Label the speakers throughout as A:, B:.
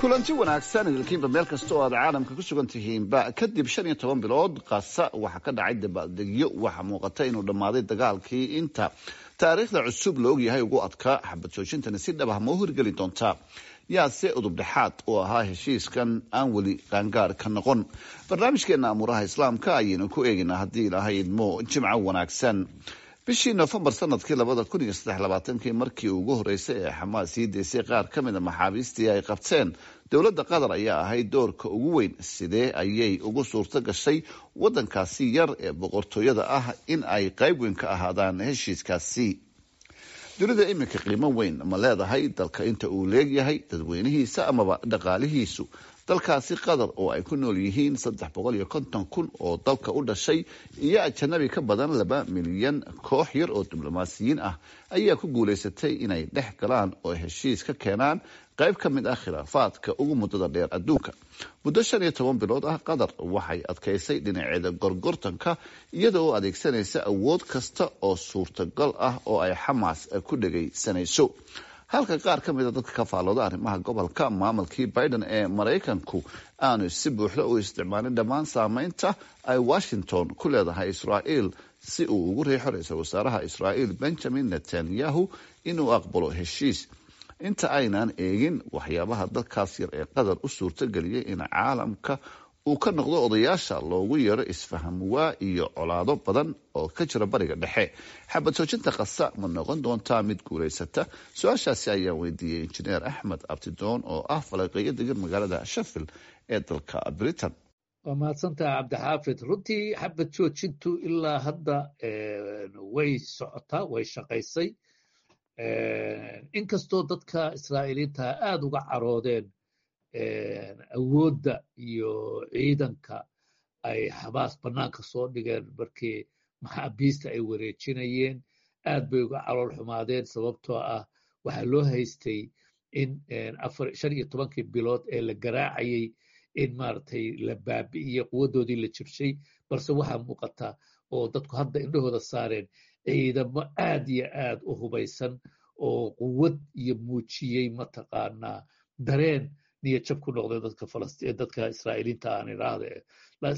A: Kulanti wanaagsan idilkiinba meel kasta oo aad caalamka ku sugan tihiinba. Kadib 15 bilood, Qasa waxaa ka dhacay dabaaldegyo. Waxaa muuqata inuu dhammaaday dagaalkii inta taariikhda cusub la ogyahay ugu adkaa. Xabad joojintani si dhab ah ma u hirgeli doontaa? Yaase udub dhexaad oo ahaa heshiiskan aan weli qaangaar ka noqon? Barnaamijkeena Amuuraha Islaamka ayaynu ku eegaynaa, haddii Ilaahay idmo. Jimco wanaagsan. Bishii Nofembar sanadkii 2023-kii, markii ugu horeysay ee Xamaas sii deysay qaar ka mid a maxaabiistii ay qabteen, dowladda Qatar ayaa ahayd doorka ugu weyn. Sidee ayay ugu suurto gashay wadankaasi yar ee boqortooyada ah in ay qayb weyn ka ahaadaan heshiiskaasi? Dunida iminka qiimo weyn ma leedahay dalka inta uu leegyahay dadweynihiisa amaba dhaqaalihiisu? Dalkaasi Qatar oo ay ku nool yihiin 350,000 oo dalka u dhashay iyo ajanabi ka badan 2 milyan, koox yar oo diblomaasiyiin ah ayaa ku guuleysatay inay dhex galaan oo heshiis ka keenaan qayb ka mid ah khilaafaadka ugu muddada dheer adduunka. Muddo 15 bilood ah, Qatar waxay adkaysay dhinaceeda gorgortanka, iyada oo adeegsanaysa awood kasta oo suurtagal ah oo ay Xamaas ku dhegaysanayso, halka qaar ka mida dadka ka faallooda arrimaha gobolka maamulkii Biden ee Maraykanku aanu si buuxda u isticmaalin dhammaan saameynta ay Washington ku leedahay Israa'iil si uu ugu riixo ra-iisul wasaaraha Israa'iil Benjamin Netanyahu inuu aqbalo heshiis. Inta aynaan eegin waxyaabaha dalkaas yar ee Qatar u suurtageliyay in caalamka uu ka noqdo odayaasha loogu yeero isfahamwaa iyo colaado badan oo ka jira Bariga Dhexe, xabad joojinta Qasa ma noqon doontaa mid guulaysata? Su-aashaasi ayaan weydiiyey Injineer Axmed Abtidoon oo ah falanqeeyo degan magaalada Sheffield ee dalka Britain.
B: Waa mahadsantaha, Cabdixaafid. Runtii xabad joojintu ilaa hadda way socotaa, way shaqaysay, inkastoo dadka Israa'iiliinta aada uga caroodeen awoodda iyo ciidanka ay Xamaas bannaanka soo dhigeen markii maxaabiista ay wareejinayeen. Aad bay uga calool xumaadeen, sababtoo ah waxaa loo haystay in 15-kii bilood ee la garaacayay in maaragtay la baabi'iyey quwaddoodii, la jabshay. Balse waxaa muuqata oo dadku hadda indhahooda saareen ciidamo aad iyo aad u hubaysan oo quwad iyo muujiyey, mataqaanaa, dareen niyad jab ku noqday dadka Falastiin, dadka Israa'iiliinta aan idhaahde.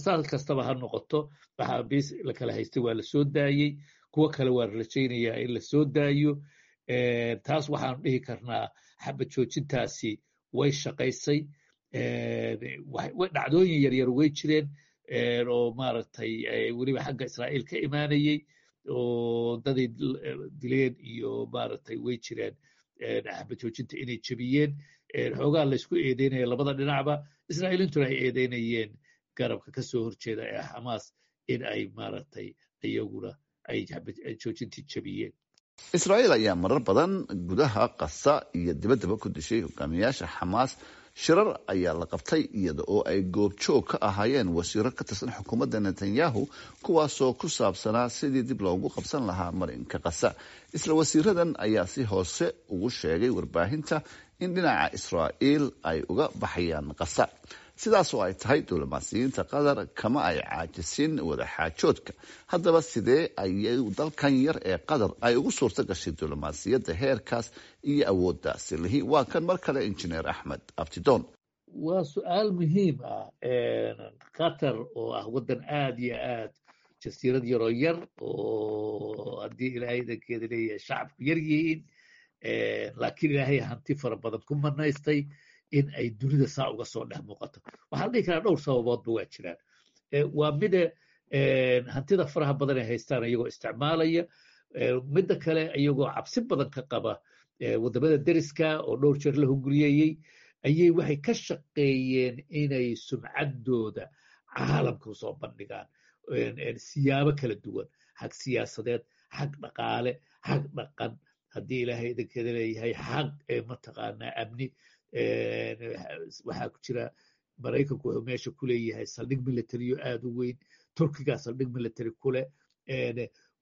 B: Saas kastaba ha noqoto, maxaabiis la kala haystay waa la soo daayey, kuwo kale waa la rajaynayaa in la soo daayo. Taas waxaanu dhihi karnaa xabad joojintaasi way shaqaysay. Dhacdooyin yaryar way jireen oo maaragtay weliba xagga Israa'iil ka imaanayey oo daday dileen iyo maaragtay way jireen xabad joojinta inay jebiyeen. Xoogaa laysku eedeynaya labada dhinacba, Israa'iiliintuna ay eedeynayeen garabka ka soo horjeeda ee Xamaas in ay maaragtay iyaguna ay xabad joojintii jebiyeen.
A: Israa'iil ayaa marar badan gudaha Qasa iyo dibaddaba ku dishay hogaamiyaasha Xamaas. Shirar ayaa la qabtay iyada oo ay goobjoog ka ahaayeen wasiiro ka tirsan xukuumadda Netanyahu, kuwaasoo ku saabsanaa sidii dib loogu qabsan lahaa marinka Qasa. Isla wasiiradan ayaa si hoose ugu sheegay warbaahinta in dhinaca Israa'iil ay uga baxayaan Qasa. Sidaas oo ay tahay, diblomaasiyiinta Qatar kama ay caajisin wadaxaajoodka. Haddaba, sidee ayay dalkan yar ee Qatar ay ugu suurto gashay diblomaasiyadda heerkaas iyo awoodda silihi? Waa kan mar kale Injineer Axmed Abtidoon.
B: Waa su-aal muhiim ah. Qatar oo ah waddan aad iyo aad jasiirad yaroo yar oo haddii Ilaahay idankeeda leeyahay shacabku yar yihiin, laakiin Ilaahay hanti fara badan ku manaystay, in ay dunida saa uga soo dhex muuqato, waxaa la dhihi karaa dhowr sababoodba waa jiraan. Waa mida hantida faraha badan ay haystaan iyagoo isticmaalaya, midda kale iyagoo cabsi badan ka qaba waddamada deriska oo dhowr jeer la hunguriyeeyey, ayay waxay ka shaqeeyeen inay sumcaddooda caalamka usoo bandhigaan siyaabo kala duwan, xag siyaasadeed, xag dhaqaale, xag dhaqan, haddii Ilaahay idankeeda leeyahay, xag mataqaanaa amni. Waxaa ku jira Maraykanku wuxuu meesha ku leeyahay saldhig military-yo aad u weyn, Turkigaa saldhig military ku leh.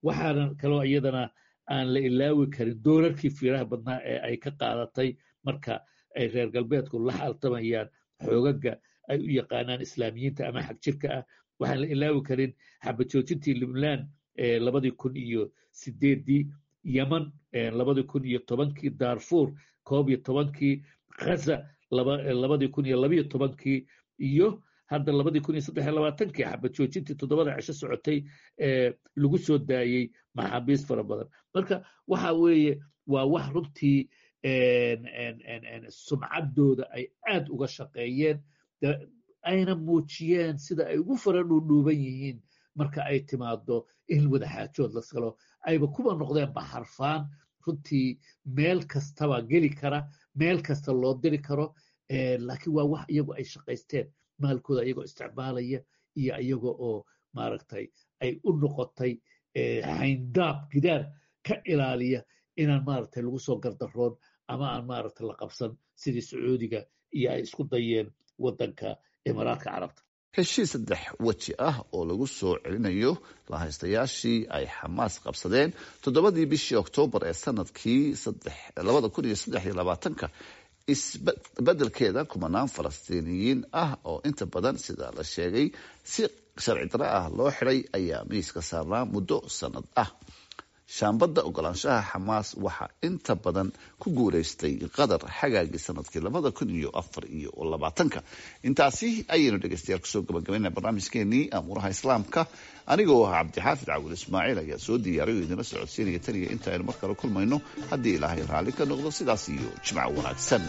B: Waxaana kaloo iyadana aan la ilaawi karin doorarkii fiiraha badnaa ee ay ka qaadatay marka ay reer galbeedku la xaltamayaan xoogaga ay u yaqaanaan Islaamiyiinta ama xag jirka ah. Waxaan la ilaawi karin xabad joojintii Libnaan 2008-dii, Yeman 2010-kii, Darfur 11-kii, Ghaza. 2012-kii iyo hadda 2023-kii xabad joojintii 7da cisho socotay ee lagu soo daayey maxaabiis fara badan. Marka waxa weeye waa wax runtii sumcaddooda ay aad uga shaqeeyeen, ayna muujiyeen sida ay ugu fara dhuudhuuban yihiin marka ay timaado in wadaxaajood la galo, ayba kuba noqdeenba xarfaan runtii meel kastaba geli kara, meel kasta loo diri karo. Laakiin waa wax iyagu ay shaqaysteen, maalkooda iyagoo isticmaalaya iyo iyaga oo maaragtay ay u noqotay xayndaab gidaar ka ilaaliya inaan maaragtay lagu soo gardaroon ama aan maaragtay la qabsan, sidii Sacuudiga iyo ay isku dayeen waddanka Imaaraadka Carabta.
A: Heshiis saddex weji ah oo lagu soo celinayo lahaystayaashii ay Xamaas qabsadeen 7dii bishii Oktoobar ee sanadkii 2023-ka, isbedelkeeda kumanaan Falastiiniyiin ah oo inta badan, sida la sheegay, si sharci darro ah loo xidhay ayaa miiska saarnaa muddo sanad ah. Shaambadda ogolaanshaha Xamaas waxaa inta badan ku guuleystay Qatar xagaagii sanadkii 2024-ka. Intaasi ayaynu, dhegeystayaal, kusoo gabagabayna barnaamijkeenii Amuuraha Islaamka. Anigoo ah Cabdixaafid Cawil Ismaaciil ayaa soo diyaariy oo idinla socodsiinaya. Taniya inta aynu mar kale kulmayno, haddii Ilaahay raalli ka noqdo, sidaas iyo jimco wanaagsan.